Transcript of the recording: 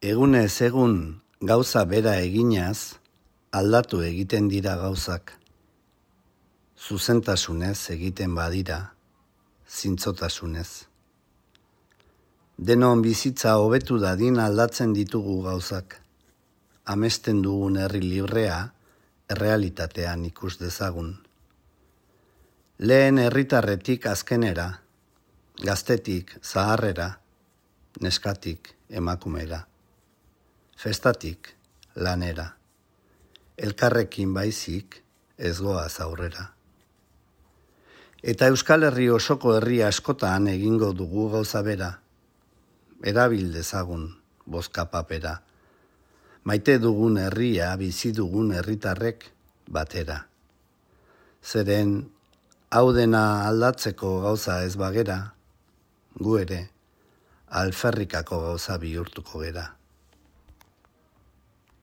Egunez egun gauza bera eginaz, aldatu egiten dira gauzak. Zuzentasunez egiten badira, zintzotasunez. Denon bizitza hobetu dadin aldatzen ditugu gauzak. Amesten dugun herri librea, errealitatean ikus dezagun. Lehen herritarretik azkenera, gaztetik zaharrera, neskatik emakumera. Festatik lanera, elkarrekin baizik ez goaz aurrera. Eta Euskal Herri osoko herri askotan egingo dugu gauza bera, erabil dezagun bozka papera, maite dugun herria bizi dugun herritarrek batera. Zeren hau dena aldatzeko gauza ez bagera, gu ere alferrikako gauza bihurtuko gera.